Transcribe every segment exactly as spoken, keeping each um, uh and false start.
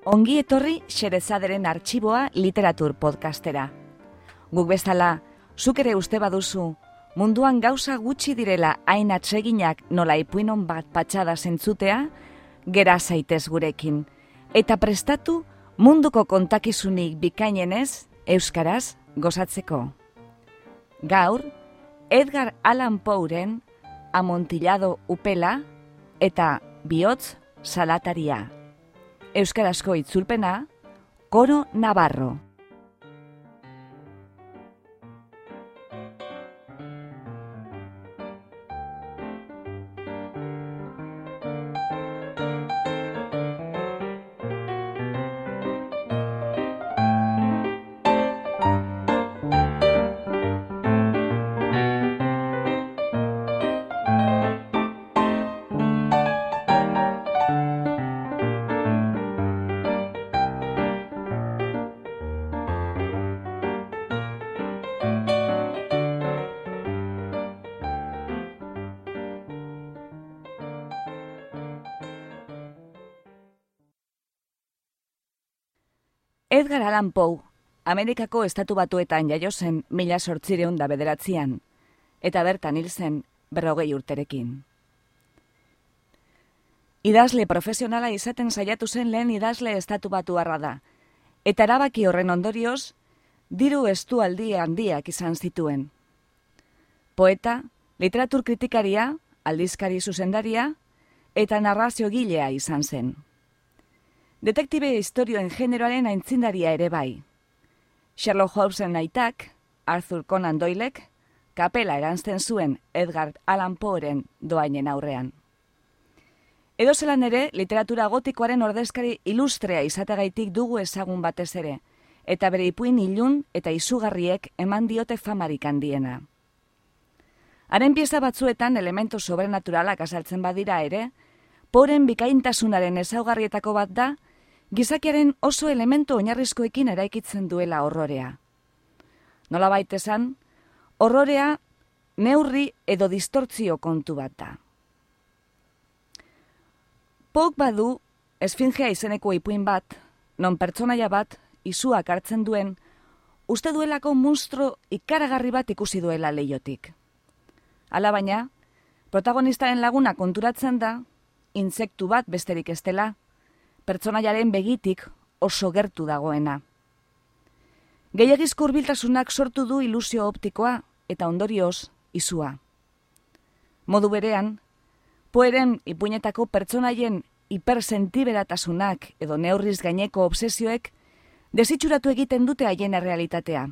Ongi etorri Xerezaderen Artxiboa literatur podcastera. Guk bezala, zuk ere uste baduzu, munduan gauza gutxi direla hain atseginak nola ipuinon bat patxada zentzutea, gera zaitez gurekin, eta prestatu munduko kontakizunik bikainenez, euskaraz gozatzeko. Gaur, Edgar Allan Poeren Amontillado upela eta Bihotz salataria. Euskarazko itzulpena, Coro Navarro. Edgar Allan Poe, Amerikako Estatu Batuetan jaio zen mila zortziehun eta bederatzian, eta bertan hil zen berrogei urterekin. Idazle profesionala izaten saiatu zen lehen idazle estatubatuarra da, eta erabaki horren ondorioz, diru estualdi handiak izan zituen. Poeta, literatur kritikaria, aldizkari zuzendaria, eta narraziogilea izan zen. Detektibe historioen generoaren aintzindaria ere bai. Sherlock Holmesen aitak, Arthur Conan Doylek, kapela eranzten zuen Edgar Allan Poeren doainen aurrean. Edozelan ere, literatura gotikoaren ordezkari ilustrea izategaitik dugu ezagun batez ere, eta bere ipuin ilun eta izugarriek eman diote famarik handiena. Haren pieza batzuetan elemento sobrenaturalak azaltzen badira ere, Poeren bikaintasunaren ezaugarrietako bat da, gizakiaren oso elementu oinarrizkoekin eraikitzen duela horrorea. Nolabait esan, horrorea neurri edo distortzio kontu bat da. Poek badu esfingea izeneko ipuin bat, non pertsonaia bat izuak hartzen duen, uste duelako munstro ikaragarri bat ikusi duela leihotik. Alabaina, protagonistaren laguna konturatzen da, intsektu bat besterik ez dela, pertsonaiaren begitik oso gertu dagoena. Gehiagizko hurbiltasunak sortu du ilusio optikoa eta ondorioz izua. Modu berean, Poeren ipuinetako pertsonaien hipersentiberatasunak edo neurriz gaineko obsesioek desitxuratu egiten dute haien errealitatea.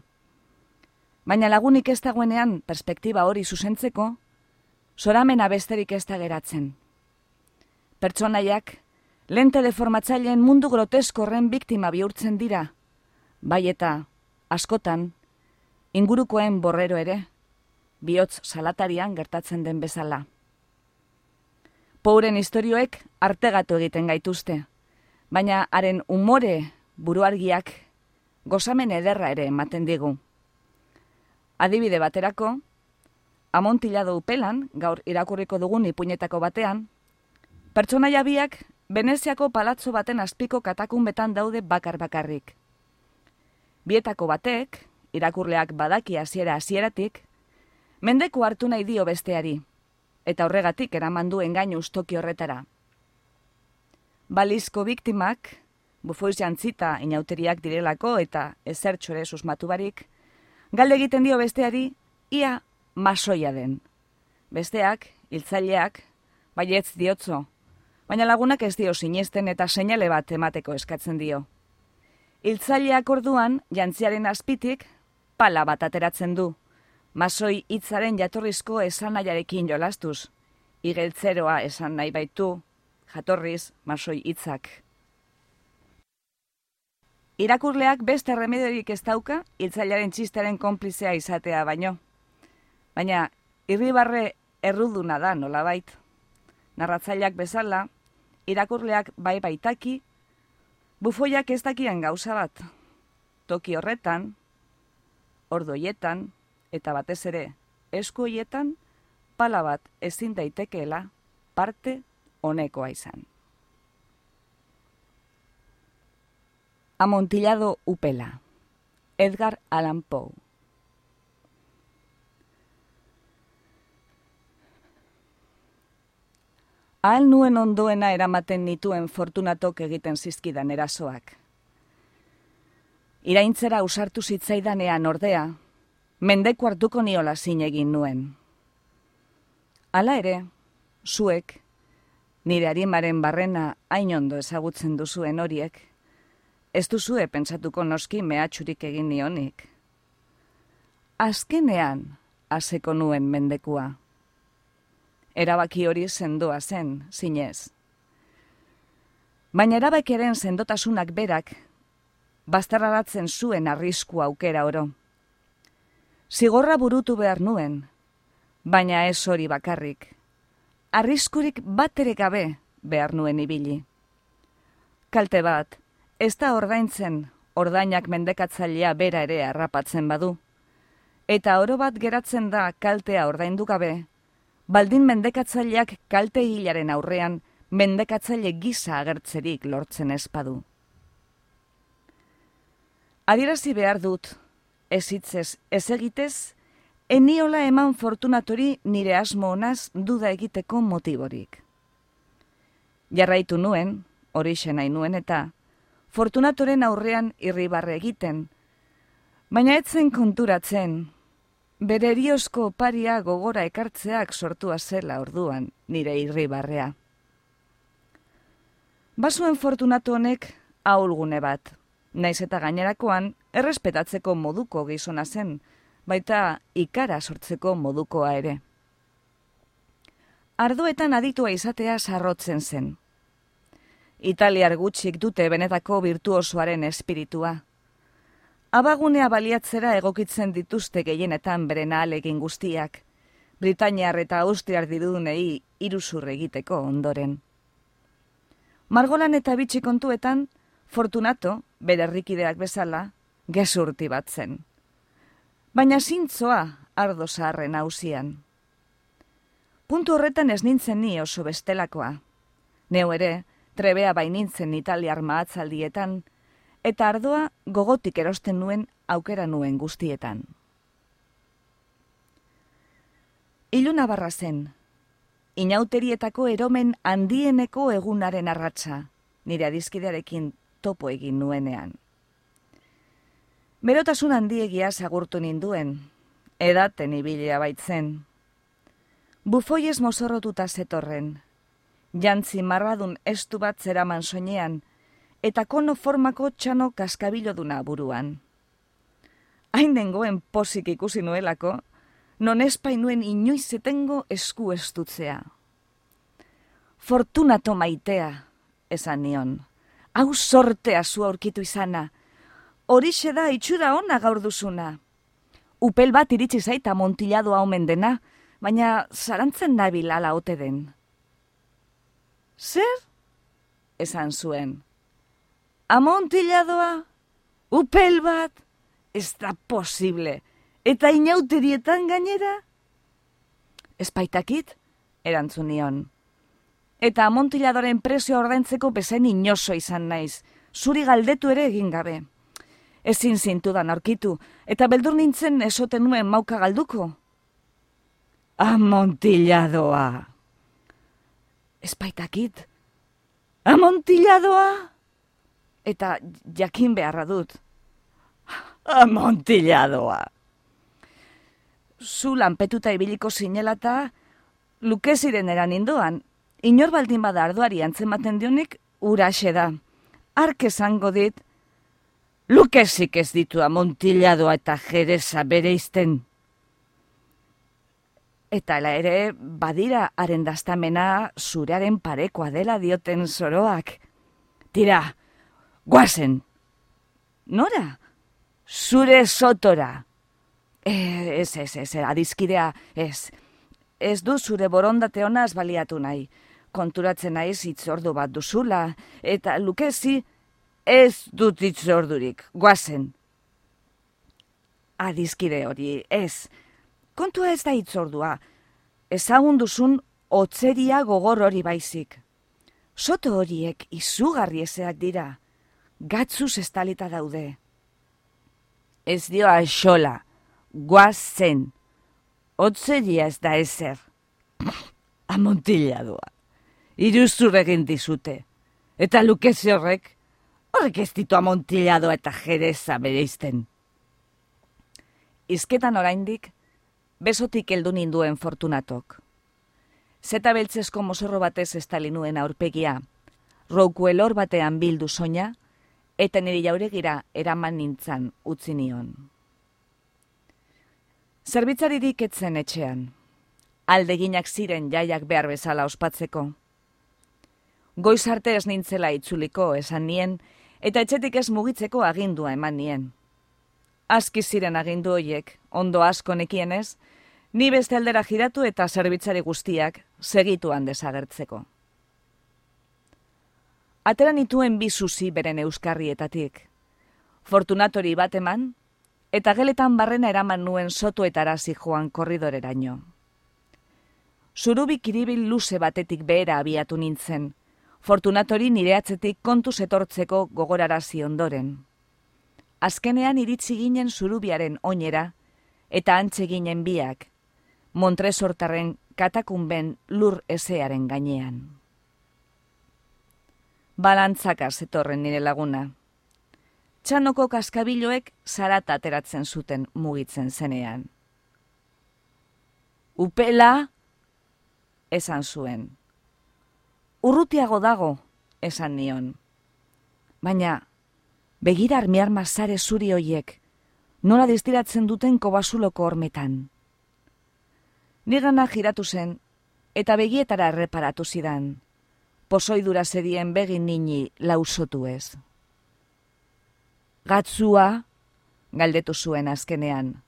Baina lagunik ez dagoenean perspektiba hori zuzentzeko, zoramena besterik ez da geratzen. Pertsonaiak, lente deformatzaileen mundu grotesko horren biktima bihurtzen dira, bai eta, askotan, ingurukoen borrero ere, bihotz salatarian gertatzen den bezala. Poeren istorioek artegatu egiten gaituzte, baina haren umore buruargiak gozamen ederra ere ematen digu. Adibide baterako, Amontillado upelan, gaur irakurriko dugun ipuinetako batean, pertsonaia biak Veneziako palatzo baten azpiko katakunbetan daude bakar-bakarrik. Bietako batek, irakurleak badaki hasiera hasieratik, mendeku hartu nahi dio besteari, eta horregatik eraman du engainu toki horretara. Balizko biktimak, bufoiz jantzita inauteriak direlako eta ezertxore susmatu barik, galde egiten dio besteari, ia masoia den. Besteak, hiltzaileak, baietz diotzo, baina lagunak ez dio sinesten eta seinale bat emateko eskatzen dio. Hiltzaileak orduan, jantziaren azpitik, pala bat ateratzen du, masoi hitzaren jatorrizko esanaiarekin jolastuz, igeltzeroa esan nahi baitu, jatorriz masoi hitzak. Irakurleak beste remediorik ez dauka, hiltzailearen txistaren konplizea izatea baino. Baina, irribarre erruduna da nolabait. Narratzaileak bezala, irakurleak bai baitaki, bufoiak ez dakian gauza bat. Toki horretan, ordu hoietan, eta batez ere, esku hoietan, pala bat ezin daitekeela parte honekoa izan. Amontillado upela. Edgar Allan Poe. Ahal nuen ondoena eramaten nituen Fortunatok egiten zizkidan erasoak. Iraintzera usartu zitzaidanean ordea, mendeku hartuko niola zin egin nuen. Hala ere, zuek, nire arimaren barrena hain ondo ezagutzen duzuen horiek, ez duzue pentsatuko noski mehatxurik egin nionik. Azkenean, haseko nuen mendekua. Erabaki hori sendoa zen, zinez. Baina erabakiaren sendotasunak berak, bazterraratzen zuen arrisku aukera oro. Zigorra burutu behar nuen, baina ez hori bakarrik. Arriskurik bat ere gabe behar nuen ibili. Kalte bat, ez da ordaintzen, ordainak mendekatzailea bera ere harrapatzen badu. Eta oro bat geratzen da kaltea ordaindu gabe, baldin mendekatzaileak kalte hilaren aurrean mendekatzaile gisa agertzerik lortzen espadu. Adierazi behar dut, ez hitzez, ez egitez, eniola eman Fortunatori nire asmo honaz duda egiteko motiborik. Jarraitu nuen, horixe nahi nuen eta, Fortunatoren aurrean irribarre egiten, baina etzen konturatzen, bere eriozko oparia gogora ekartzeak sortua zela orduan nire irribarrea. Bazuen Fortunato honek ahulgune bat, naiz eta gainerakoan errespetatzeko moduko gizona zen, baita ikara sortzeko modukoa ere. Ardoetan aditua izatea sarrotzen zen. Italiar gutxik dute benetako virtuosoaren espiritua. Abagunea baliatzera egokitzen dituzte gehienetan beren ahalegin guztiak, Britainiar eta Austriar dirudunei iruzur egiteko ondoren. Margolan eta bitxi kontuetan, Fortunato, bere herrikideak bezala, gezurti bat zen. Baina zintzoa ardo zaharren hausian. Puntu horretan ez nintzen ni oso bestelakoa. Neu ere, trebea bainintzen italiar mahatzaldietan, eta ardoa gogotik erosten nuen aukera nuen guztietan. Iluna barra zen, inauterietako eromen handieneko egunaren arratsa, nire adizkidearekin topo egin nuenean. Berotasun handiegia agurtu ninduen, edaten ibilia baitzen. Bufoiez mozorrotuta zetorren, jantzi marradun estu bat zeraman soinean, eta kono formako txano kaskabiloduna buruan. Hain dengoen pozik ikusi nuelako, non espainuen inoiz etengo esku estutzea. Fortunato maitea, esan nion, hau sortea zu aurkitu izana, horixe da itxura ona gaur duzuna. Upel bat iritsi zaita Amontilladoa omen dena, baina zarantzen nabil ala ote den. Zer? Esan zuen. Amontilladoa? Upel bat? Ez da posible. Eta inauterietan gainera? Ez baitakit, erantzun nion. Eta Amontilladoren prezio ordaintzeko bezain inoso izan naiz, zuri galdetu ere egin gabe. Ezin zintudan aurkitu, eta beldur nintzen esoten nuen mauka galduko. Amontilladoa! Ez baitakit. Amontilladoa! Eta jakin beharra dut. Amontilladoa! Zu lanpetuta ibiliko zinelata, lukeziren eran indoan, inor baldin bada ardoari antzematen dionik, uraxe da. Ark esango dit, lukezik ez ditu Amontilladoa eta Jereza bereizten. Eta ela ere, badira haren daztamena zurearen parekoa dela dioten zoroak. Tira, guazen. Nora? Zure sotora. Ez, ez, ez, adizkidea, ez. Ez du zure borondate honaz baliatu nahi. Konturatzen naiz hitzordu bat duzula, eta lukezi ez dut hitzordurik, guazen. Adizkide hori, ez. Kontua ez da hitzordua, ezagun duzun otzeria gogor hori baizik. Soto horiek izugarri ezeak dira, gatzuz estalita daude. Ez dio axola, guazen, otzeria ez da ezer. Amontilladoa, iruzur egin dizute, eta Lukezi horrek, horrek ez ditu amontilladoa eta jereza bereizten. Izketan oraindik, besotik heldu ninduen Fortunatok. Zeta beltzezko mozorro batez estali nuen aurpegia, rouku elor batean bildu soina, eta niri jauregira eraman nintzan utzi nion. Zerbitzaririk etzen etxean, aldeginak ziren jaiak behar bezala ospatzeko. Goiz arte ez nintzela itzuliko esan nien, eta etxetik ez mugitzeko agindua eman nien. Aski ziren agindu hoiek, ondo asko nekienez, ni beste aldera jiratu eta zerbitzari guztiak segituan desagertzeko. Atera nituen bi zuzi beren euskarrietatik. Fortunatori bat eman, eta geletan barrena eraman nuen sotoetara zijoan korridoreraino. Zurubi kiribil luze batetik behera abiatu nintzen, Fortunatori nire atzetik kontuz etortzeko gogorarazi ondoren. Azkenean iritzi ginen zurubiaren oinera, eta antze ginen biak, Montresortarren katakunben lur ezearen gainean. Balantzaka zetorren nire laguna. Txanoko kaskabiloek zarata ateratzen zuten mugitzen zenean. Upela, esan zuen. Urrutiago dago, esan nion. Baina, begira armiar mazare zuri hoiek, nola distiratzen duten kobasuloko hormetan. Nigana giratu zen, eta begietara erreparatu zidan, pozoidura zerien begin nini lausotu ez. Gatzua, galdetu zuen azkenean.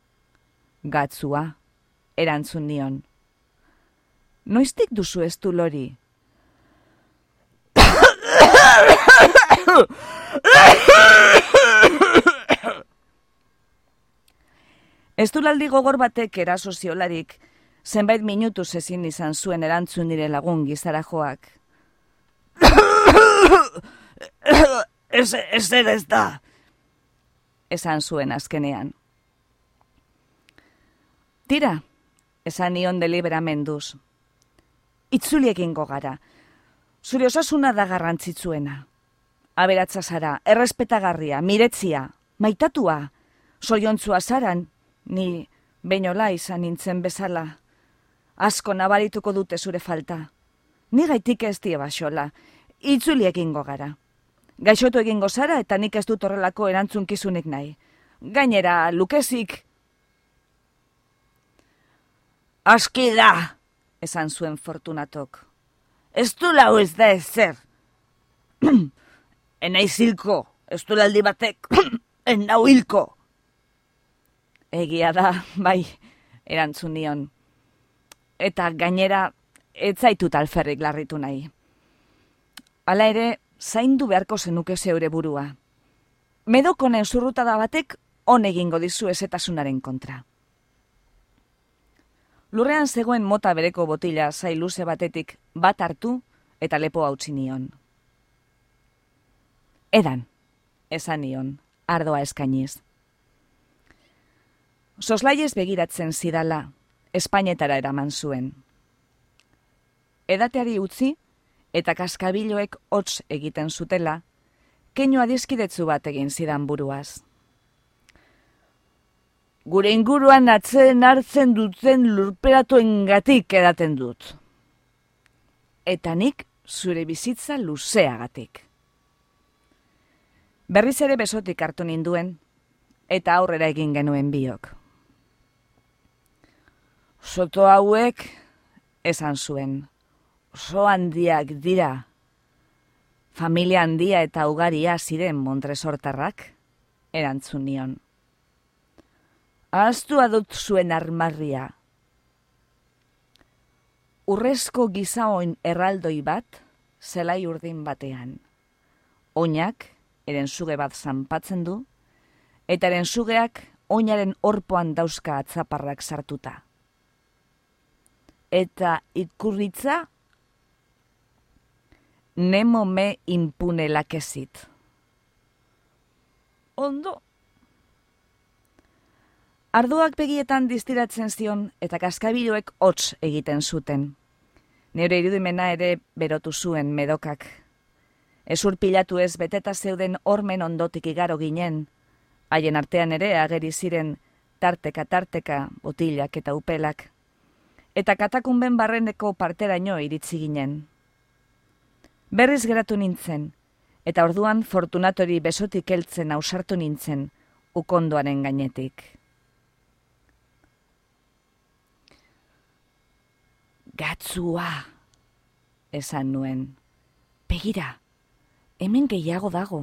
Gatzua, erantzun nion. Noiztik duzu ez du lori? Ez du laldi gogor batek eraso ziolarik, zenbait minutuz ezin izan zuen erantzun nire lagun gizara joak. Ez, ez ere ez da, esan zuen azkenean. Tira, esan nion deliberamenduz. Itzuliekingo gara, zure osasuna da garrantzitsuena. Aberatza zara, errespetagarria, miretzia, maitatua, zoriontzua zaran, ni beinola izan nintzen bezala. Asko nabarituko dute zure falta. Ni gaitik ez die basola, itzuli egingo gara. Gaixotu egingo zara eta nik ez dut horrelako erantzunkizunik nahi. Gainera, Lukezik... Aski da, esan zuen Fortunatok. Ez du lau ez da ezer. Enaiz hilko, ez du laldi batek, enau hilko. Egia da, bai, erantzun nion. Eta gainera, ez zaitut alferrik larritu nahi. Hala ere, zaindu beharko zenuke zeure burua. Medokonen zurrutada batek on egingo dizu ezetasunaren kontra. Lurrean zegoen mota bereko botila zailuze batetik bat hartu eta lepo hautsi nion. Edan, esan nion, ardoa eskainiz. Soslaiez begiratzen zidala, Espainetara eraman zuen. Edateari utzi, eta kaskabiloek hots egiten zutela, keinu adiskidetzu bat egin zidan buruaz. Gure inguruan atzeen hartzen duten lurperatuengatik edaten dut. Eta nik zure bizitza luzeagatik. Berriz ere besotik hartu ninduen, eta aurrera egin genuen biok. Soto hauek, esan zuen, oso handiak dira. Familia handia eta ugaria ziren Montresortarrak, erantzun nion. Ahaztua dut zuen armarria. Urrezko gizaoin erraldoi bat, zelai urdin batean. Oinak, eren suge bat zanpatzen du, eta eren sugeak oinaren orpoan dauzka atzaparrak sartuta. Eta ikurritza, nemo me impune lakezit. ondo. Ardoak begietan distiratzen zion eta kaskabiloek hots egiten zuten. Neure irudimena ere berotu zuen medokak. Ezur pilatu ez beteta zeuden hormen ondotik igaro ginen, haien artean ere ageri ziren tarteka-tarteka botilak eta upelak, eta katakunben barreneko parteraino iritzi ginen. Berriz geratu nintzen, eta orduan Fortunatori besotik heltzen ausartu nintzen, ukondoaren gainetik. Gatzua, esan nuen. Begira, hemen gehiago dago.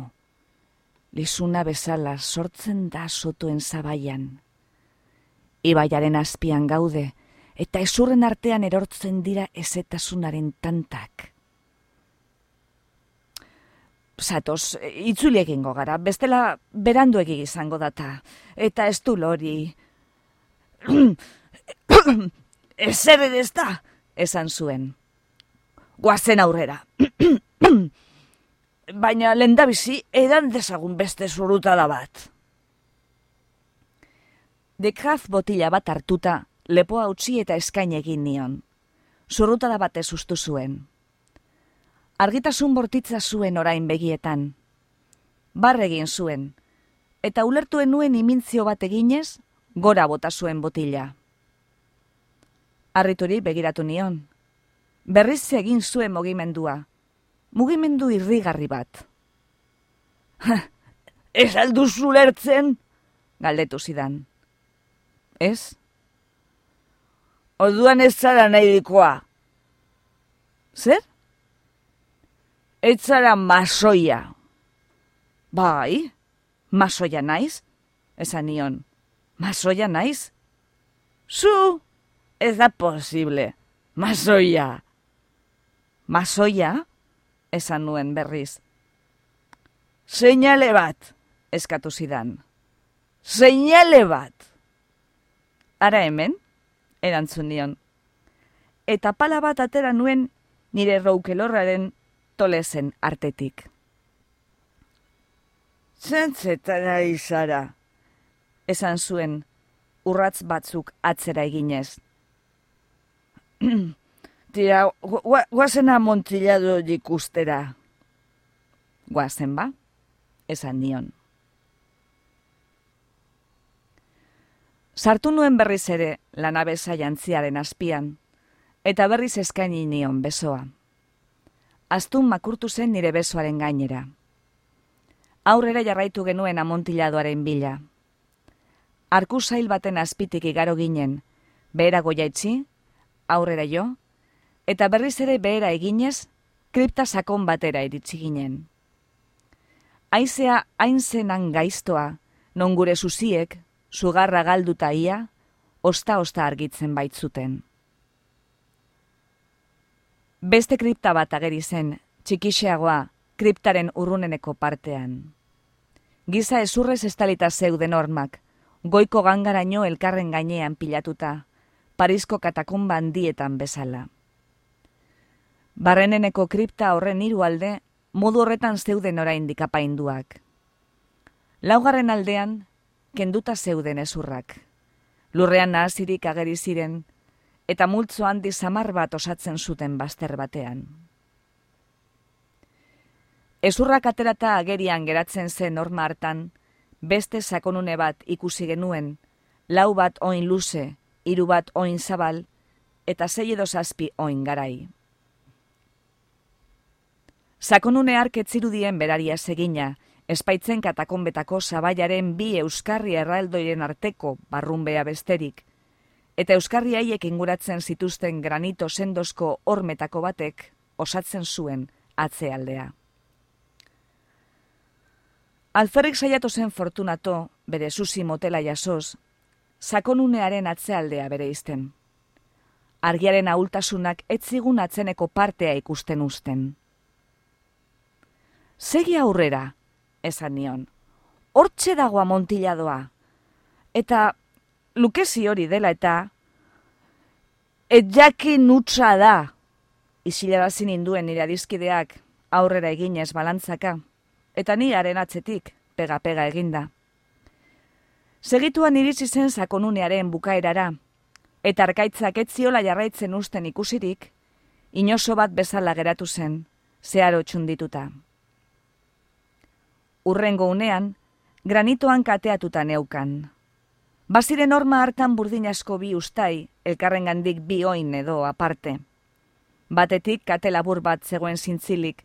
Lizuna bezala sortzen da sotoen zabaian. Ibaiaren azpian gaude, eta ezurren artean erortzen dira ezetasunaren tantak. Zatoz, itzuli egingo gara, bestela beranduegi izango data, eta ez du lori. Ezer ere ez da, esan zuen. Goazen aurrera. Baina lehendabizi edan dezagun beste zurutada bat. Dekraz botila bat hartuta, lepoa utzi eta eskain egin nion. Zurrutada batez ustu zuen. Argitasun bortitza zuen orain begietan. Barre egin zuen, eta ulertuen nuen imintzio bat eginez, gora bota zuen botila. Harrituri begiratu nion. Berriz egin zuen mugimendua. Mugimendu irrigarri bat. Ez alduzu ulertzen? Galdetu zidan. Ez? Orduan ez zara nahi dikoa. Zer? Ez zara masoia. Bai, masoia naiz? Esan nion. Masoia naiz? Zu? Ez da posible. Masoia. Masoia? Esan nuen berriz. Seinale bat, eskatu zidan. Seinale bat. Ara hemen, erantzun nion. Eta pala bat atera nuen nire roukelorraren tolezen artetik. Zentzetara izara, esan zuen urratz batzuk atzera eginez. Tira, guazen amontillado ikustera. Guazen ba, esan nion. Sartu nuen berriz ere lanabesa jantziaren azpian, eta berriz eskaini nion besoa. Astun makurtu zen nire besoaren gainera. Aurrera jarraitu genuen amontilladoaren bila. Arku zail baten azpitik igaro ginen, behera goiaitzi, aurrera jo, eta berriz ere behera eginez, kripta sakon batera iritsi ginen. Haizea hain zenan gaiztoa, non gure zuziek, sugarra galduta ia, osta-osta argitzen baitzuten. Beste kripta bat ageri zen, txikixeagoa, kriptaren urruneneko partean. Giza ezurrez estalita zeuden hormak, goiko gangaraino elkarren gainean pilatuta, Parisko katakumba handietan bezala. Barreneneko kripta horren hiru alde, modu horretan zeuden oraindik apainduak. Laugarren aldean, kenduta zeuden ezurrak. Lurrean nahazirik ageri ziren, eta multzo handi samar bat osatzen zuten bazter batean. Ezurrak aterata agerian geratzen zen horma hartan, beste sakonune bat ikusi genuen, lau bat oin luze, hiru bat oin zabal, eta sei edo zazpi oin garai. Sakonune hark etzirudien beraria segina, espaitzen katakonbetako zabaiaren bi euskarri erraldoiren arteko barrunbea besterik, eta euskarri haiek inguratzen zituzten granito sendozko hormetako batek osatzen zuen atzealdea. Alferrik saiatu zen Fortunato, bere susi motela jasoz, sakonunearen atzealdea bere izten. Argiaren ahultasunak etzigun atzeneko partea ikusten uzten. Segi aurrera, esan nion, hortxe dago amontilladoa, eta lukezi hori dela eta et jakin utza da, isilarazin induen nire adizkideak aurrera eginez balantzaka, eta ni haren atzetik pega-pega eginda. Segituan iritsi zen sakonunearen bukaerara, eta arkaitzak ez ziola jarraitzen usten ikusirik, inoso bat bezala geratu zen, zeharo txundituta. Urrengo unean, granitoan kateatuta neukan. Baziren horma hartan burdin asko bi ustai, elkarrengandik bi oin edo aparte. Batetik kate labur bat zegoen zintzilik,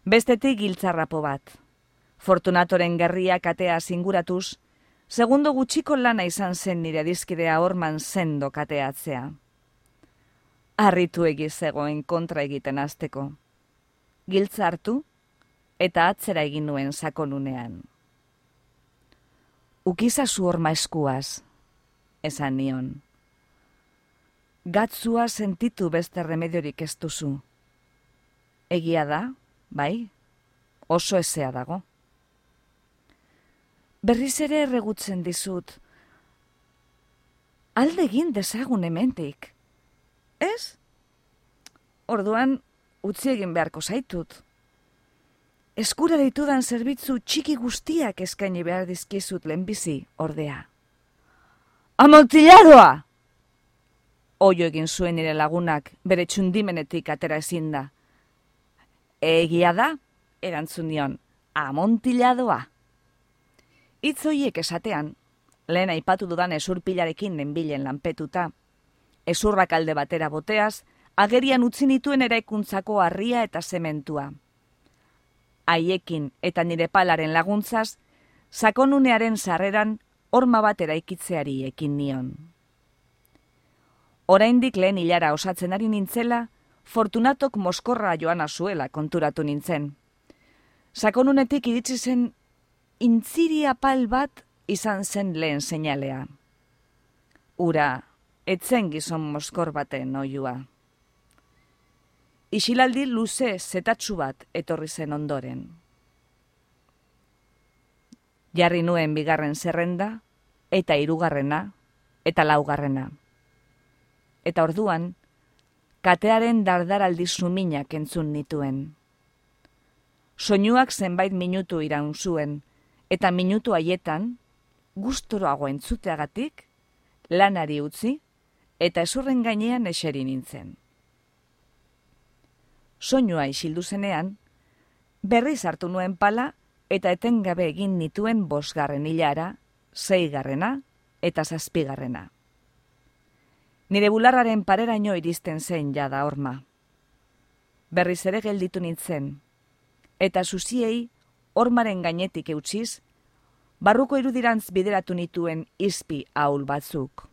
bestetik giltzarrapo bat. Fortunatoren gerria katea zinguratuz, segundo gutxiko lana izan zen nire dizkidea horman sendo kateatzea. Harritu egiz zegoen kontra egiten hasteko. Giltza hartu eta atzera egin nuen sakonunean. Ukizazu horma eskuaz, esan nion. Gatzua sentitu beste remediorik ez duzu. Egia da, bai, oso ezea dago. Berriz ere erregutzen dizut. Alde egin dezagun hemendik. Ez? Orduan, utzi egin beharko zaitut. Eskura ditudan zerbitzu txiki guztiak eskaini behar dizkizut lehenbizi, ordea. Amontilladoa! Oio egin zuen nire lagunak, bere txundimenetik atera ezin da. Egia da, erantzun nion, amontilladoa. Hitz horiek esatean, lehen aipatu dudan ezurpilarekin nenbilen lanpetuta, ezurrak alde batera boteaz, agerian utzi nituen eraikuntzako harria eta zementua. Haiekin eta nire palaren laguntzaz, sakonunearen sarreran horma bat eraikitzeari ekin nion. Oraindik lehen hilara osatzen ari nintzela, Fortunatok moskorra joana zuela konturatu nintzen. Sakonunetik iritsi zen intziri apal bat izan zen lehen seinalea. Ura, etzen gizon moskor baten oiua. Isilaldi luze zetatsu bat etorri zen ondoren. Jarri nuen bigarren zerrenda, eta hirugarrena, eta laugarrena. Eta orduan, katearen dardaraldi suminak entzun nituen. Soinuak zenbait minutu iraun zuen, eta minutu haietan, gustoroago entzuteagatik, lanari utzi, eta ezurren gainean eseri nintzen. Soinua isildu zenean, berriz hartu nuen pala, eta etengabe egin nituen bosgarren hilara, seigarrena eta zazpigarrena. Nire bularraren pareraino iristen zen jada horma. Berriz ere gelditu nintzen, eta zuziei hormaren gainetik eutxiz, barruko irudirantz bideratu nituen izpi ahul batzuk.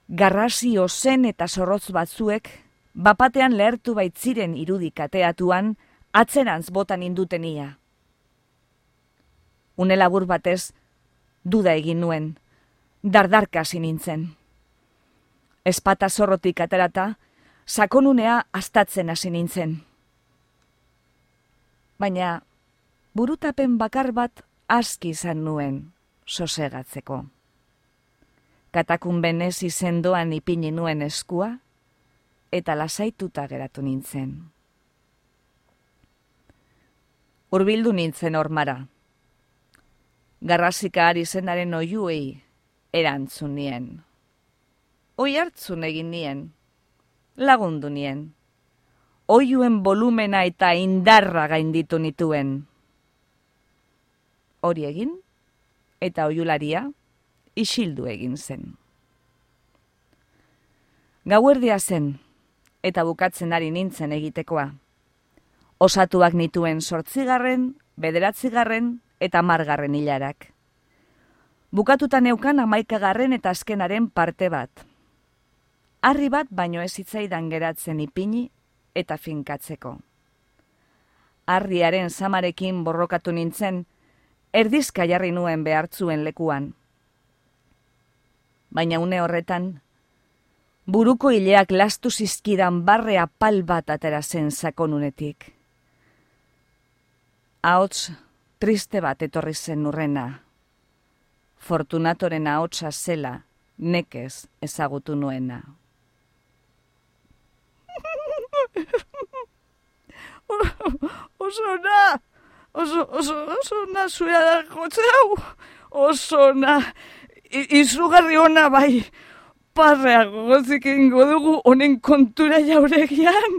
Garrasi ozen eta zorrotz batzuek, bapatean lehertu baitziren irudik ateatuan, atzerantz botan indutenia. Une labur batez, duda egin nuen, dardarka hasi nintzen. Ezpata zorrotik aterata, sakonunea astatzen hasi nintzen. Baina, burutapen bakar bat aski izan nuen sosegatzeko. Katakunbenez izendoan ipini nuen eskua, eta lasaituta geratu nintzen. Hurbildu nintzen hormara. Garrasika ari zenaren oiuei erantzun nien. Oi hartzun egin nien, lagundu nien. Oiuen volumena eta indarra gainditu nituen. Hori egin, eta oiularia isildu egin zen. Gauerdia zen, eta bukatzen ari nintzen egitekoa. Osatuak nituen zortzigarren, bederatzigarren eta hamargarren hilarak. Bukatuta neukan hamaikagarren eta azkenaren parte bat. Harri bat baino ez zitzaidan geratzen ipini eta finkatzeko. Harriaren zamarekin borrokatu nintzen, erdizka jarri nuen behartzuen lekuan. Baina une horretan, buruko hileak lastu zizkidan barre apal bat atera zen sakonunetik. Ahots triste bat etorri zen urrena. Fortunatoren ahotsa zela nekez ezagutu nuena. Oso ona, Oso, oso, oso na zuea da jotze hau. Oso na. Izugarri ona bai. Parreago gozik egingo dugu honen kontura jauregian.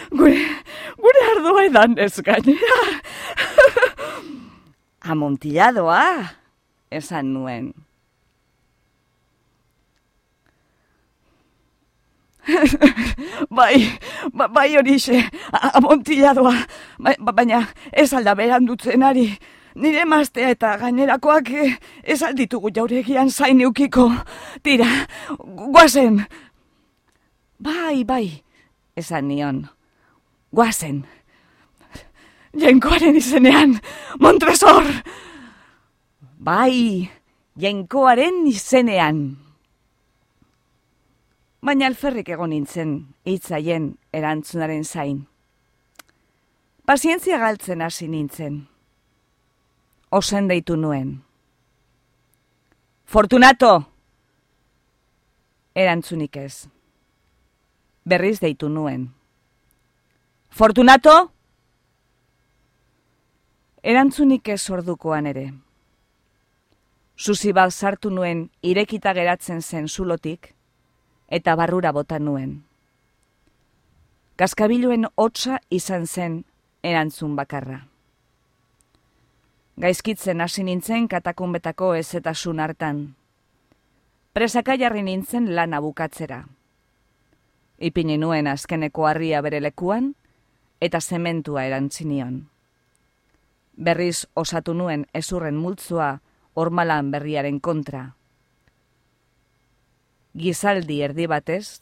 Gure, gure ardoa edan ez gainera. Amontilladoa, esan nuen. Bai, ba, bai horixe, amontilladoa, ba, baina ez alda berandutzen ari. Nire emaztea eta gainerakoak ez alditugu jauregian zain eukiko. Tira, guazen. Bai, bai, esan nion. Guazen. Jainkoaren izenean, Montresor! Bai, jainkoaren izenean. Baina alferrik egon nintzen, hitzaien erantzunaren zain. Pazientzia galtzen hasi nintzen. Osen deitu nuen. Fortunato! Erantzunik ez. Berriz deitu nuen. Fortunato! Erantzunik ez ordukoan ere. Susi bat sartu nuen irekita geratzen zen zulotik, eta barrura bota nuen. Kaskabiluen hotsa izan zen erantzun bakarra. Gaizkitzen hasi nintzen katakunbetako ezetasun hartan. Presaka jarri nintzen lana bukatzera. Ipini nuen azkeneko harria bere lekuan, eta zementua erantzinion. Berriz osatu nuen ezurren multzoa ormalan berriaren kontra. Gizaldi erdi batez,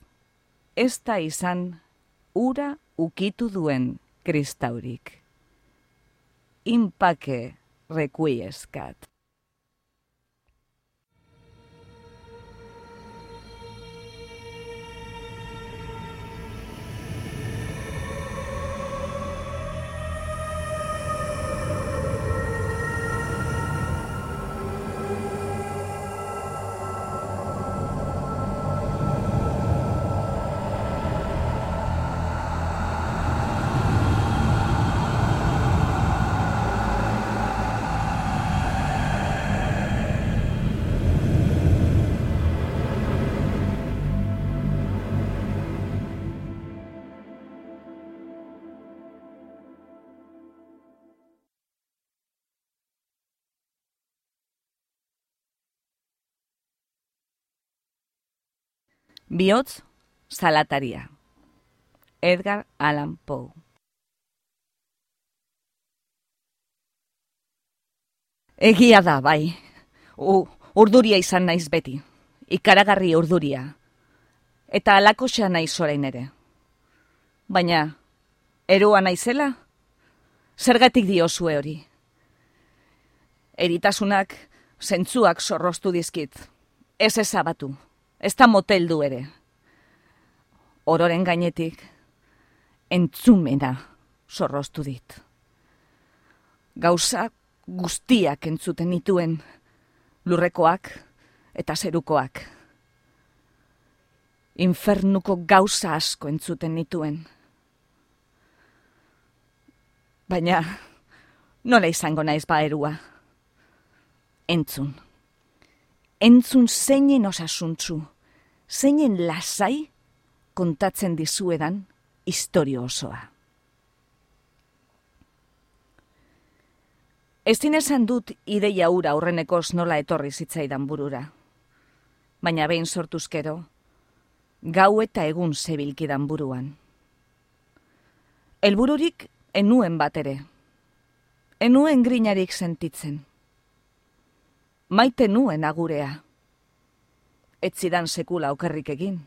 ez da izan ura ukitu duen kristaurik. Inpake requiescat. Bihotz salataria. Edgar Allan Poe. Egia da, bai. U, urduria izan naiz beti. Ikaragarri urduria. Eta alakoxa naiz orain ere. Baina, eroa naizela? Zergatik diozue hori? Eritasunak zentzuak zorroztu dizkit. Ez ezabatu. Ez da moteldu ere. Ororen gainetik, entzumena zorroztu dit. Gauza guztiak entzuten nituen, lurrekoak eta zerukoak. Infernuko gauza asko entzuten nituen. Baina, nola izango naiz ba erua? Entzun. Entzun zeinen osasuntzu, zeinen lasai kontatzen dizuedan istorio osoa. Ez dinezan dut ideia hura aurrenekoz nola etorri zitzaidan burura. Baina behin sortuzkero, gau eta egun zebilkidan buruan. Helbururik enuen bat ere. Enuen grinarik sentitzen. Maite nuen agurea. Ez zidan sekula okerrik egin.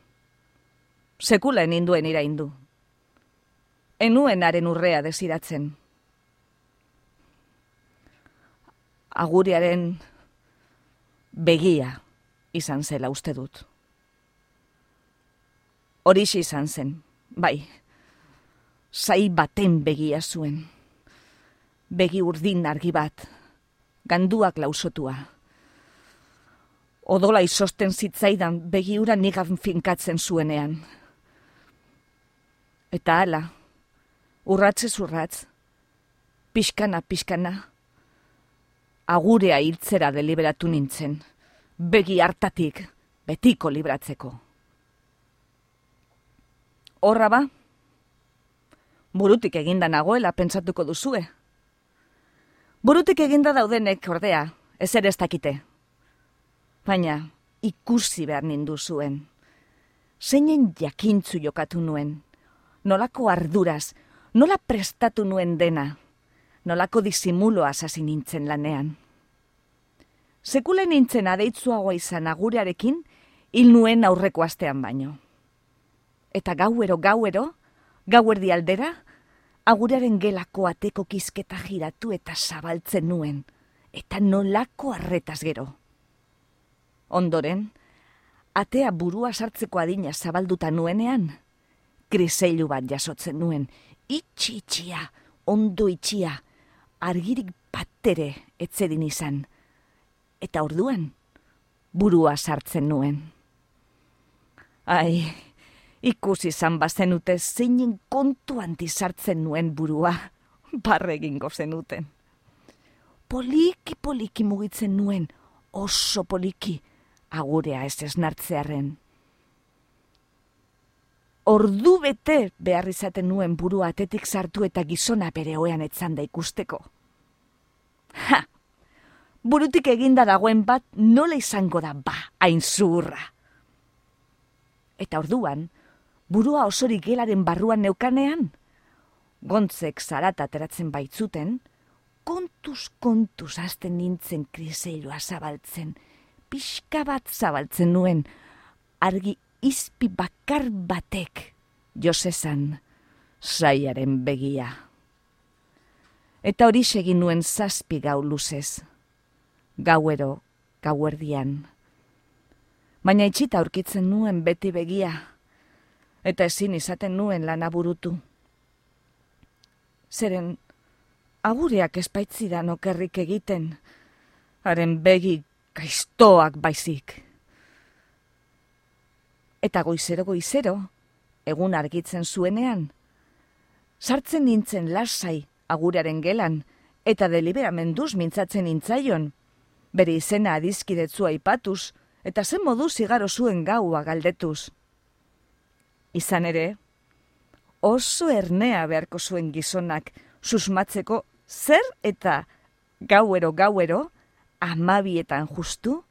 Sekula eninduen iraindu. Enuen haren urrea desiratzen. Agurearen begia izan zela uste dut. Horixe izan zen, bai. Zai baten begia zuen. Begi urdin argi bat, ganduak lausotua. Odola izosten zitzaidan begiura nigan finkatzen zuenean. Eta hala, urratzez urratz, pixkana, pixkana, agurea hiltzera deliberatu nintzen, begi hartatik betiko libratzeko. Horra ba, burutik eginda nagoela pentsatuko duzue. Burutik eginda daudenek ordea, ezer ez dakite. Baina ikusi behar nindu zuen. Zeinen jakintzu jokatu nuen, nolako arduraz, nola prestatu nuen dena, nolako disimuloaz hasi nintzen lanean. Sekule nintzen adeitzuagoa izan agurearekin, hil nuen aurreko astean baino. Eta gauero, gauero, gauerdi aldera, agurearen gelako ateko kizketa jiratu eta zabaltzen nuen, eta nolako arretaz gero. Ondoren, atea burua sartzeko adina zabalduta nuenean, kriseilu bat jasotzen nuen, itxi-itxia, ondo itxia, argirik batere etzedin izan, eta orduan, burua sartzen nuen. Ai, ikusi izan bazenute zeinen kontu sartzen nuen burua, barre egingo zenuten. Poliki-poliki mugitzen nuen, oso poliki, agurea ez esnartzearen. Ordu bete behar izaten nuen burua atetik sartu eta gizona bere oean etzanda ikusteko. Ha! Burutik eginda dagoen bat nola izango da ba, hain zuhurra. Eta orduan, burua osorik gelaren barruan neukanean, gontzek zarata ateratzen baitzuten, kontuz kontuz hasten nintzen kriseilua zabaltzen, pixka bat zabaltzen nuen, argi izpi bakar batek josezan saiaren begia. Eta hori segin nuen zazpi gau luzez, gauero, gauerdian. Baina itxita aurkitzen nuen beti begia, eta ezin izaten nuen lana burutu. Zeren, agureak espaitzidan okerrik egiten, haren begi gaiztoak baizik. Eta goizero-goizero, egun argitzen zuenean, sartzen nintzen lasai agurearen gelan, eta deliberamenduz mintzatzen nintzaion, bere izena adizkidetzua aipatuz, eta zen modu zigaro zuen gaua galdetuz. Izan ere, oso ernea beharko zuen gizonak susmatzeko zer eta gauero-gauero, amabietan justu,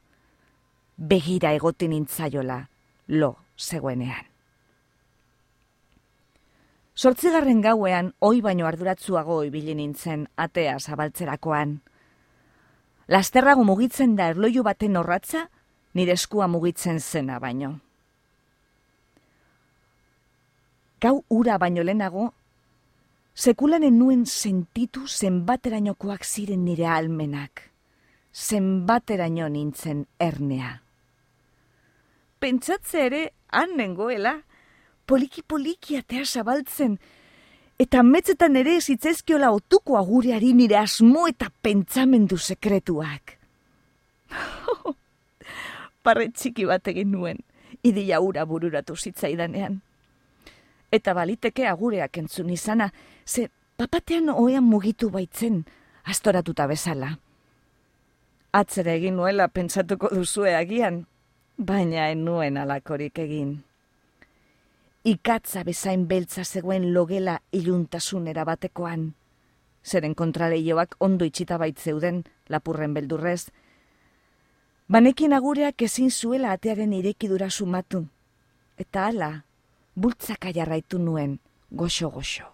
begira egotin nintzaiola lo zegoenean. Zortzigarren gauean oi baino arduratzuago ibili nintzen atea zabaltzerakoan. Lasterrago mugitzen da erloju baten orratza, nire eskua mugitzen zena baino. Gau ura baino lehenago, sekulanen nuen sentitu zenbaterainokoak ziren nire almenak, zenbateraino nintzen ernea. Pentsatze ere han nengoela, poliki-poliki atea zabaltzen, eta metzetan ere zitzezkiola otuko agureari nire asmo eta pentsamendu sekretuak. Parre txiki bat egin nuen, idia ura bururatu zitzaidanean. Eta baliteke agureak entzun izana, ze papatean oean mugitu baitzen, astoratuta bezala. Atzera egin nuela pentsatuko duzue agian, baina en nuen alakorik egin. Ikatza bezain beltza zegoen logela iluntasunera batekoan. Zeren kontraleioak ondo itxita baitzeuden lapurren beldurrez. Banekin agureak ezin zuela atearen irekidura sumatu. Eta hala, bultzaka jarraitu nuen goxo-goxo.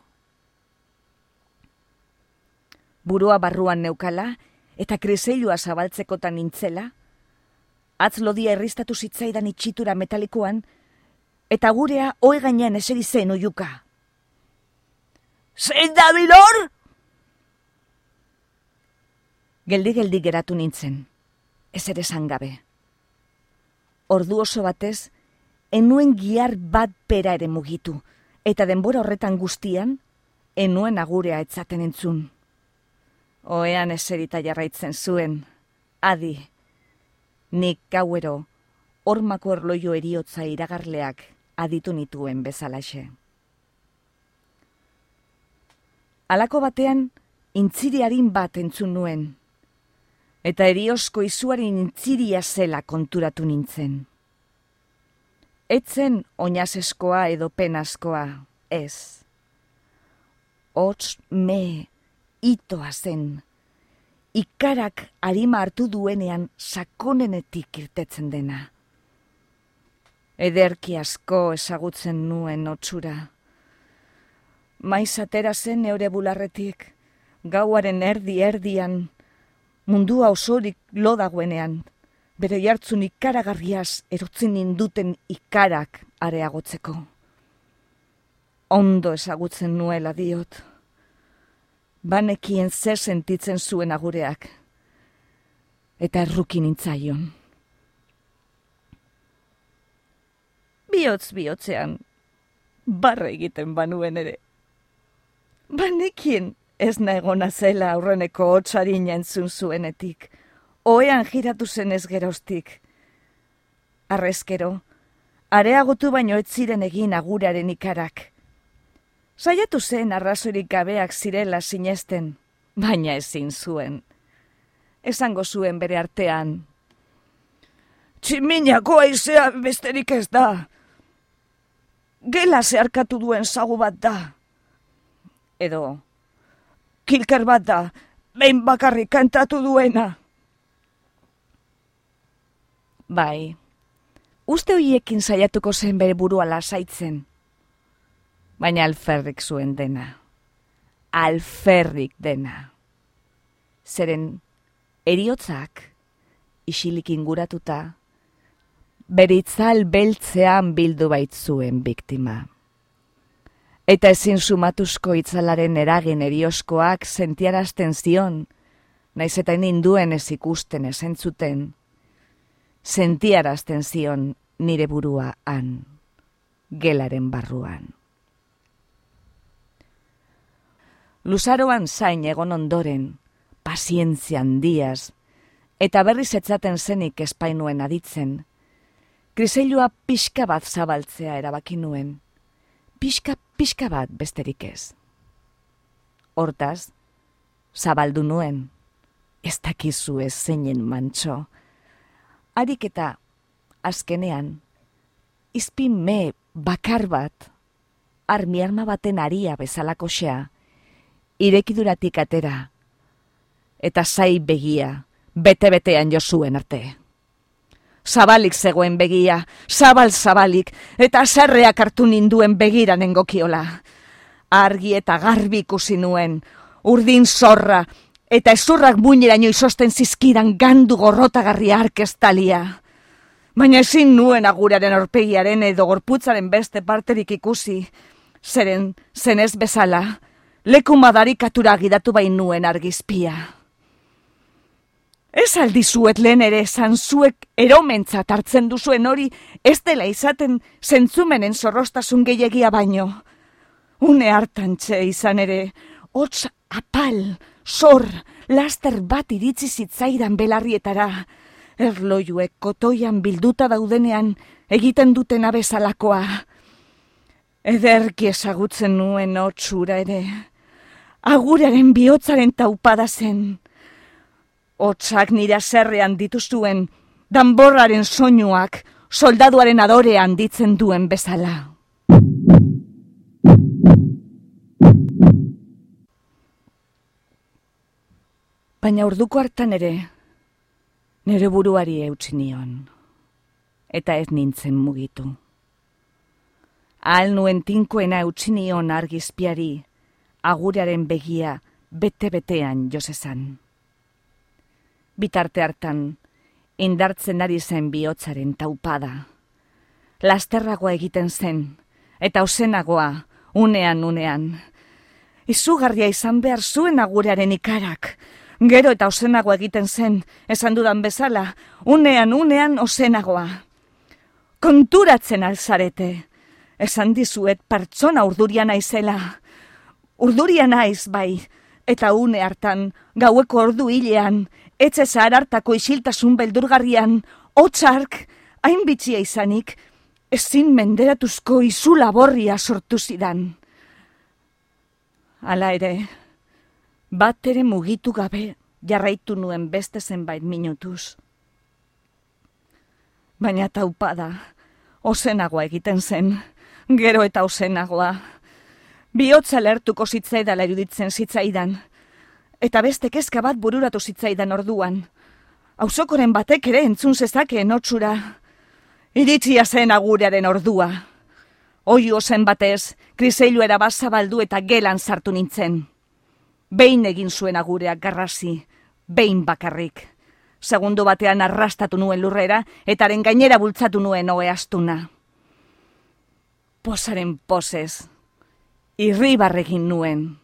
Burua barruan neukala eta kriseilua zabaltzekotan nintzela, atz lodia erristatu zitzaidan itxitura metalikoan, eta gurea oe gainean eseri zen oiuka. Zein da bilor? Geldi-geldi geratu nintzen, ez ere zangabe. Ordu oso batez, enuen giar bat bera ere mugitu, eta denbora horretan guztian, enuen agurea etzaten entzun. Oean eserita jarraitzen zuen, adi, nik gauero, hormako erloio eriotza iragarleak aditu nituen bezalaxe. Halako batean, intziriarin bat entzun nuen, eta eriosko izuaren intziria zela konturatu nintzen. Etzen oinazeskoa edo penazkoa, ez. Hots me itoa zen, ikarak arima hartu duenean sakonenetik irtetzen dena. Ederki asko ezagutzen nuen hotsura. Maiz atera zen neure bularretik, gauaren erdi-erdian, mundua osorik lo dagoenean, bere jartzun ikaragarriaz erotzen ninduten ikarak areagotzeko. Ondo ezagutzen nuela diot. Banekien zer sentitzen zuen agureak, eta erruki nintzaion. Bihotz bihotzean, barre egiten banuen ere. Banekien ez naegona zela aurreneko hotsarina entzun zuenetik, oean jiratu zen ez geroztik. Arrezkero, areagotu baino ez ziren egin aguraren ikarak. Saiatu zen arrazorik gabeak zirela sinesten, baina ezin zuen. Esango zuen bere artean. Tximinako aizea besterik ez da. Gela zeharkatu duen zagu bat da. Edo, kilker bat da, behin bakarrik kantatu duena. Bai, uste hoiekin saiatuko zen bere burua lasaitzen. Baina alferrik zuen dena. Alferrik dena. Zeren eriotzak, isilik inguratuta, bere itzal beltzean bildu baitzuen biktima. Eta ezin sumatuzko itzalaren eragin erioskoak sentiarazten zion, naiz eta ninduen ez ikusten ez entzuten, sentiarazten zion nire burua han, gelaren barruan. Luzaroan zain egon ondoren, pazientzia handiaz, eta berriz etzaten zenik espainuen aditzen, kriseilua pixka bat zabaltzea erabaki nuen, pixka pixka bat besterik ez. Hortaz, zabaldu nuen, ez dakizu ez zeinen mantxo, harik eta azkenean, izpin me bakar bat, armi arma baten aria bezalakoxea, irekiduratik atera, eta zai begia, bete-betean jo zuen arte. Zabalik zegoen begia, zabal-zabalik, eta zerreak hartu ninduen begira nengokiola. Argi eta garbi ikusi nuen, urdin zorra, eta ezurrak muineraino izosten zizkidan gandu gorrotagarria arkestalia. Baina ezin nuen aguraren aurpegiaren edo gorputzaren beste parterik ikusi, zeren zenez bezala, leku madarikatura gidatu bain nuen argizpia. Ez aldizuet lehen ere esan zuek eromentzat hartzen duzuen hori ez dela izaten zentzumenen zorrostasun gehiagia baino. Une hartan txe izan ere, hots apal, zor, laster bat iritsi zitzaidan belarrietara, erlojuek kotoian bilduta daudenean egiten duten abezalakoa. Ederki ezagutzen nuen hotsura ere, aguraren bihotzaren taupada zen. Hotsak nire zerrean dituzuen, danborraren soinuak, soldaduaren adorean ditzen duen bezala. Baina orduko hartan ere, nire buruari eutsi nion, eta ez nintzen mugitu. Ahal nuen tinkoena eutsi nion argizpiari, aguraren begia bete-betean josezan. Bitarte hartan, indartzen ari zen bihotzaren taupada. Lasterragoa egiten zen, eta ozenagoa, unean unean. Izugarria izan behar zuen agurearen ikarak. Gero eta ozenagoa egiten zen, esan dudan bezala, unean unean ozenagoa. Konturatzen alzarete, esan dizuet pertsona urduria naizela. Urduria naiz bai, eta une hartan, gaueko ordu hilean, etxe zahar hartako isiltasun beldurgarrian, hotzark, hain bitxia izanik, ezin menderatuzko izu laborria sortu zidan. Hala ere, Bat ere mugitu gabe jarraitu nuen beste zenbait minutuz. Baina taupada, ozenagoa egiten zen, gero eta ozenagoa. Bihotza lertuko zitzaidala iruditzen zitzaidan, eta beste kezka bat bururatu zitzaidan orduan. Auzokoren batek ere entzun zezakeen hotsura. Iritzia zen agurearen ordua. Oiu zen batez, kriseiluera bazabaldu eta gelan sartu nintzen. Behin egin zuen agureak garrasi, behin bakarrik. Segundu batean arrastatu nuen lurrera, eta haren gainera bultzatu nuen ohe astuna. Posaren posez, irribarregin nuen,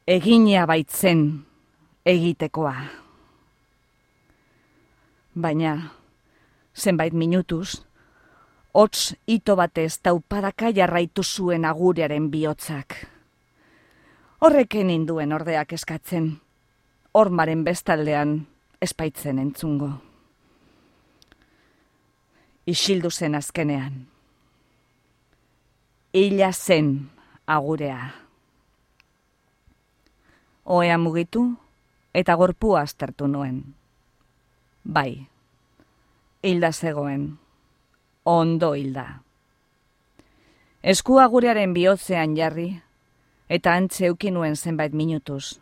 egina baitzen egitekoa. Baina, zenbait minutuz, hots ito batez taupadaka jarraitu zuen agurearen bihotzak. Horreken induen ordeak eskatzen, hormaren bestaldean espaitzen entzungo. Isildu zen azkenean. Hila zen agurea. Ohea mugitu eta gorpua aztertu nuen. Bai, hilda zegoen, ondo hilda. Esku agurearen bihotzean jarri, eta antze euki nuen zenbait minutuz.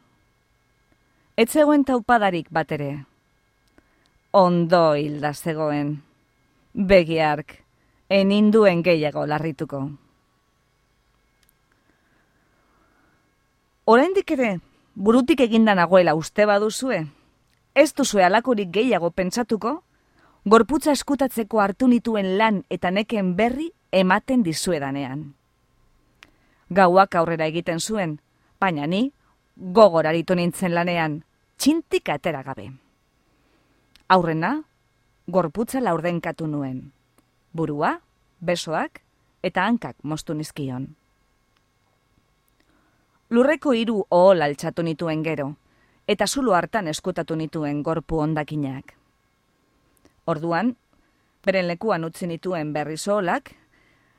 Ez zegoen taupadarik bat ere. Ondo hilda zegoen. Begiark, eninduen gehiago larrituko. Oraindik ere, burutik eginda nagoela uste baduzue, ez duzue alakorik gehiago pentsatuko, gorputza eskutatzeko hartu nituen lan eta neken berri ematen dizuedanean. Gauak aurrera egiten zuen, baina ni gogor aritu nintzen lanean, txintik atera gabe. Aurrena, gorputza laurdenkatu nuen. Burua, besoak eta hankak moztu nizkion. Lurreko hiru ohol altxatu nituen gero, eta zulo hartan eskutatu nituen gorpu hondakinak. Orduan, beren lekuan utzi nituen berriz oholak,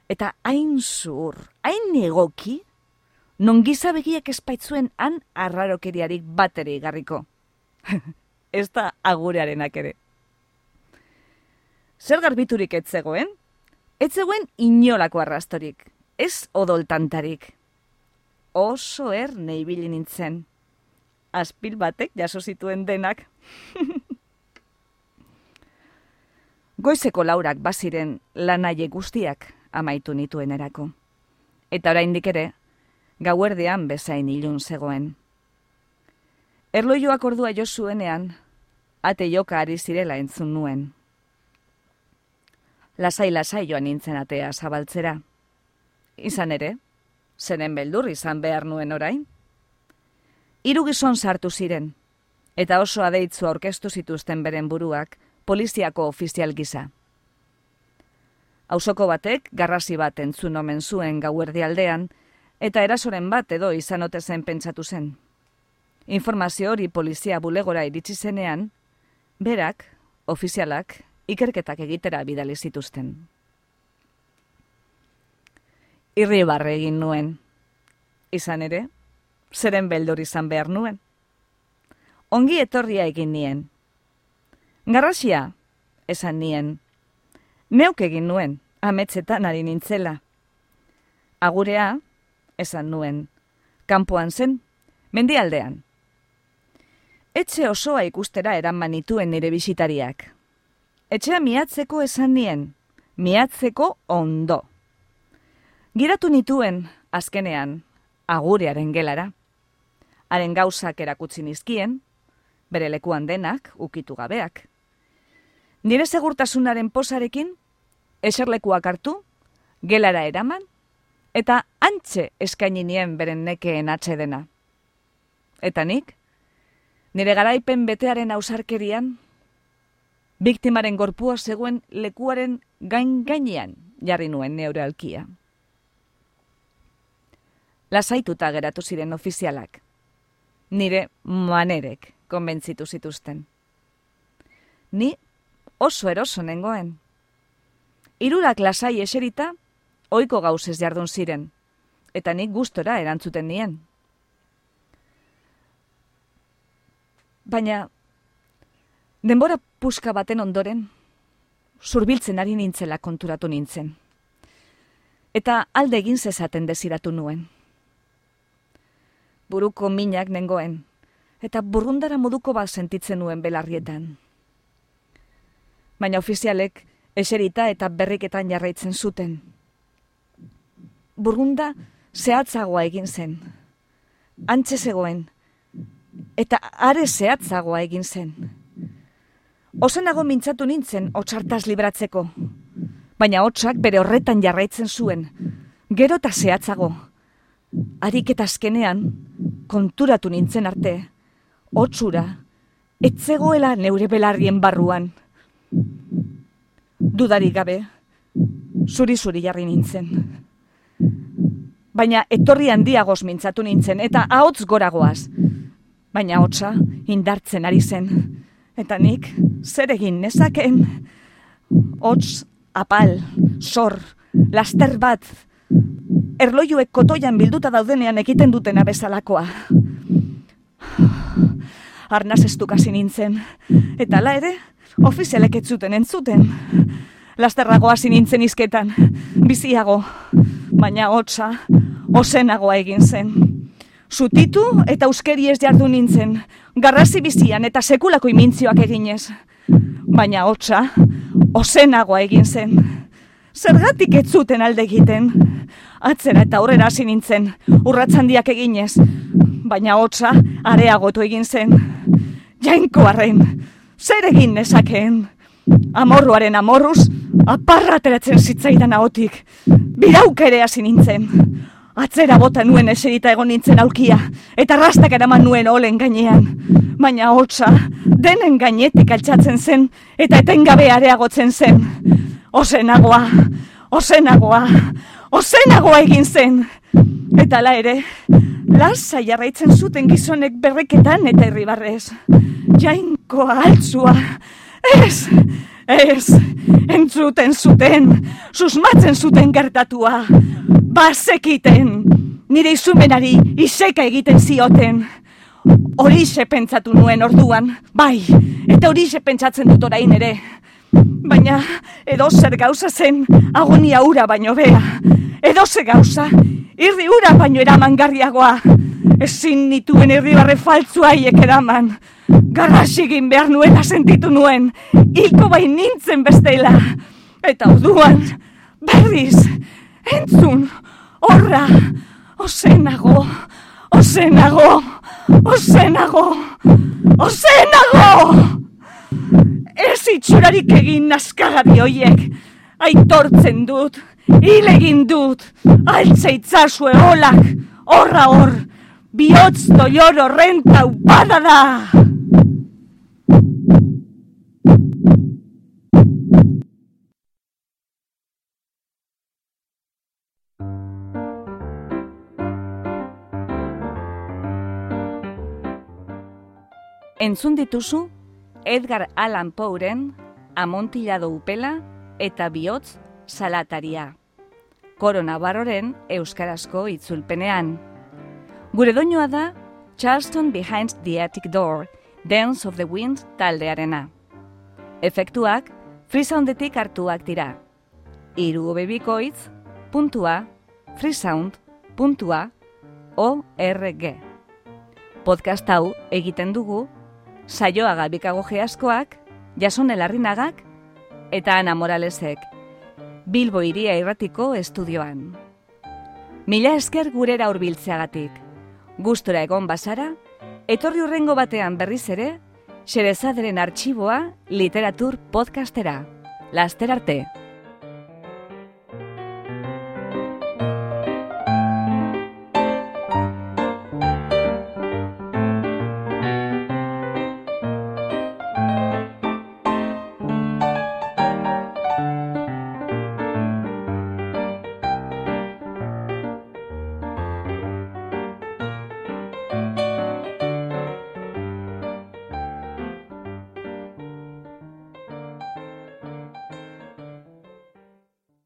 eta hain zur, hain egoki, non gizabegiak espaitzuen han arrarokeriarik bateri garriko. Ez da agurearenak ere. Zer garbiturik ez zegoen? Ez zegoen inolako arrastorik, ez odoltantarik. Oso erne ibili nintzen. Azpil batek jaso zituen denak. Goizeko laurak baziren lanaie guztiak amaitu nituen erako. Eta oraindik ere, gauerdean bezain ilun zegoen. Erloioak ordua jo zuenean, ate joka ari zirela entzun nuen. Lasai-lasai joan nintzen atea zabaltzera. Izan ere, zeren beldur izan behar nuen orain. Hiru gizon sartu ziren, eta oso adeitzu aurkeztu zituzten beren buruak poliziako ofizial gisa. Auzoko batek garrasi bat entzun omen zuen gauerdi aldean, eta erasoren bat edo izan ote zen pentsatu zen. Informazio hori polizia bulegora iritsi zenean, berak, ofizialak, ikerketak egitera bidali zituzten. Irribarre egin nuen. Izan ere, zeren beldur izan behar nuen. Ongi etorria egin nien. Garrasia, esan nien. Neuk egin nuen, ametsetan ari nintzela. Agurea, esan nuen, kanpoan zen, mendialdean. Etxe osoa ikustera eraman nituen nire bisitariak. Etxea miatzeko esan nien, miatzeko ondo. Giratu nituen, azkenean, agurearen gelara. Haren gauzak erakutsi nizkien, bere lekuan denak, ukitu gabeak. Nire segurtasunaren posarekin, eserlekuak hartu, gelara eraman, eta antxe eskaini nien beren nekeen atsedena. Eta nik, nire garaipen betearen ausarkerian, biktimaren gorpua zegoen lekuaren gain-gainean jarri nuen neure alkia. Lasaituta geratu ziren ofizialak. Nire manerek konbentzitu zituzten. Ni oso eroso nengoen. Hirurak lasai eserita, ohiko gauzez jardun ziren, eta nik gustora erantzuten nien. Baina, denbora puska baten ondoren, zurbiltzen ari nintzela konturatu nintzen. Eta alde egin zezaten desiratu nuen. Buruko minak nengoen, eta burrundara moduko bat sentitzen nuen belarrietan. Baina ofizialek eserita eta berriketan jarraitzen zuten. Burrunda zehatzagoa egin zen. Antxe zegoen, eta are zehatzagoa egin zen. Ozenago mintzatu nintzen hotsartaz libratzeko, baina hotsak bere horretan jarraitzen zuen, gero eta zehatzago. Harik eta azkenean, konturatu nintzen arte, hotsura, etzegoela neure belarrien barruan. Dudarik gabe, zuri-zuri jarri nintzen. Baina etorri handiagoz mintzatu nintzen, eta ahots goragoaz. Baina hotsa indartzen ari zen, eta nik zer egin nezakeen. Hots, apal, zor, laster bat, erlojuek kotoian bilduta daudenean egiten dutena bezalakoa. Arnaz estukasi nintzen, eta ala ere, ofizialek ez zuten entzuten. Lasterragoa nintzen izketan, biziago, baina hotsa, ozenagoa egin zen. Zutitu eta euskeri ez jardu nintzen, garrasi bizian eta sekulako imintzioak eginez. Baina hotsa, ozenagoa egin zen. Zergatik ez zuten alde egiten. Atzera eta aurrera hasi nintzen, urratsandiak eginez. Baina hotsa, areagotu egin zen. Jainkoarren, zer egin nezakeen? Amorruaren amorruz, aparra ateratzen zitzaidan ahotik. Birauk ere hasi nintzen. Atzera bota nuen eserita egon nintzen aulkia, eta rastak eraman nuen olen gainean. Baina hotsa, denen gainetik altxatzen zen, eta etengabe areagotzen zen. Ozenagoa, ozenagoa, ozenagoa egin zen. Eta ala ere, lasa jarraitzen zuten gizonek berreketan eta irribarrez. Jainkoa altzua, ez, ez, entzuten zuten, susmatzen zuten gertatua. Bazekiten, nire izumenari iseka egiten zioten. Horixe pentsatu nuen orduan, bai, eta horixe pentsatzen dut orain ere. Baina edozer gauza zen agonia ura baino bea. Edozer gauza, irri ura baino eramangarriagoa. Ezin nituen irribarre faltzu haiek eraman. Garrasigin behar nuela sentitu nuen, hilko bain nintzen bestela. Eta orduan, berriz, entzun, horra, ozenago, ozenago, ozenago, ozenago! Ez itxurarik egin naskagari hoiek, aitortzen dut, hil egin dut, altzeitzazue holak, horra hor, bihotz doior horren taupada da! Entzun dituzu Edgar Allan Poeren Amontillado upela eta bihotz salataria. Koro Navarroren euskarazko itzulpenean. Gure doinua da Charleston Behind the Attic Door, Dance of the Wind taldearena. Efektuak Freesoundetik hartuak dira. Hiru bebikoitz puntua freesound puntua org. Podcast hau egiten dugu Saioa Gabikago Geaskoak, Jason Elarrinagak eta Ana Moralesek, Bilbo Hiria Irratiko estudioan. Mila esker gurera hurbiltzeagatik. Gustora egon bazara, etorri hurrengo batean berriz ere, Xerezaderen artxiboa literatur podcastera. Laster arte!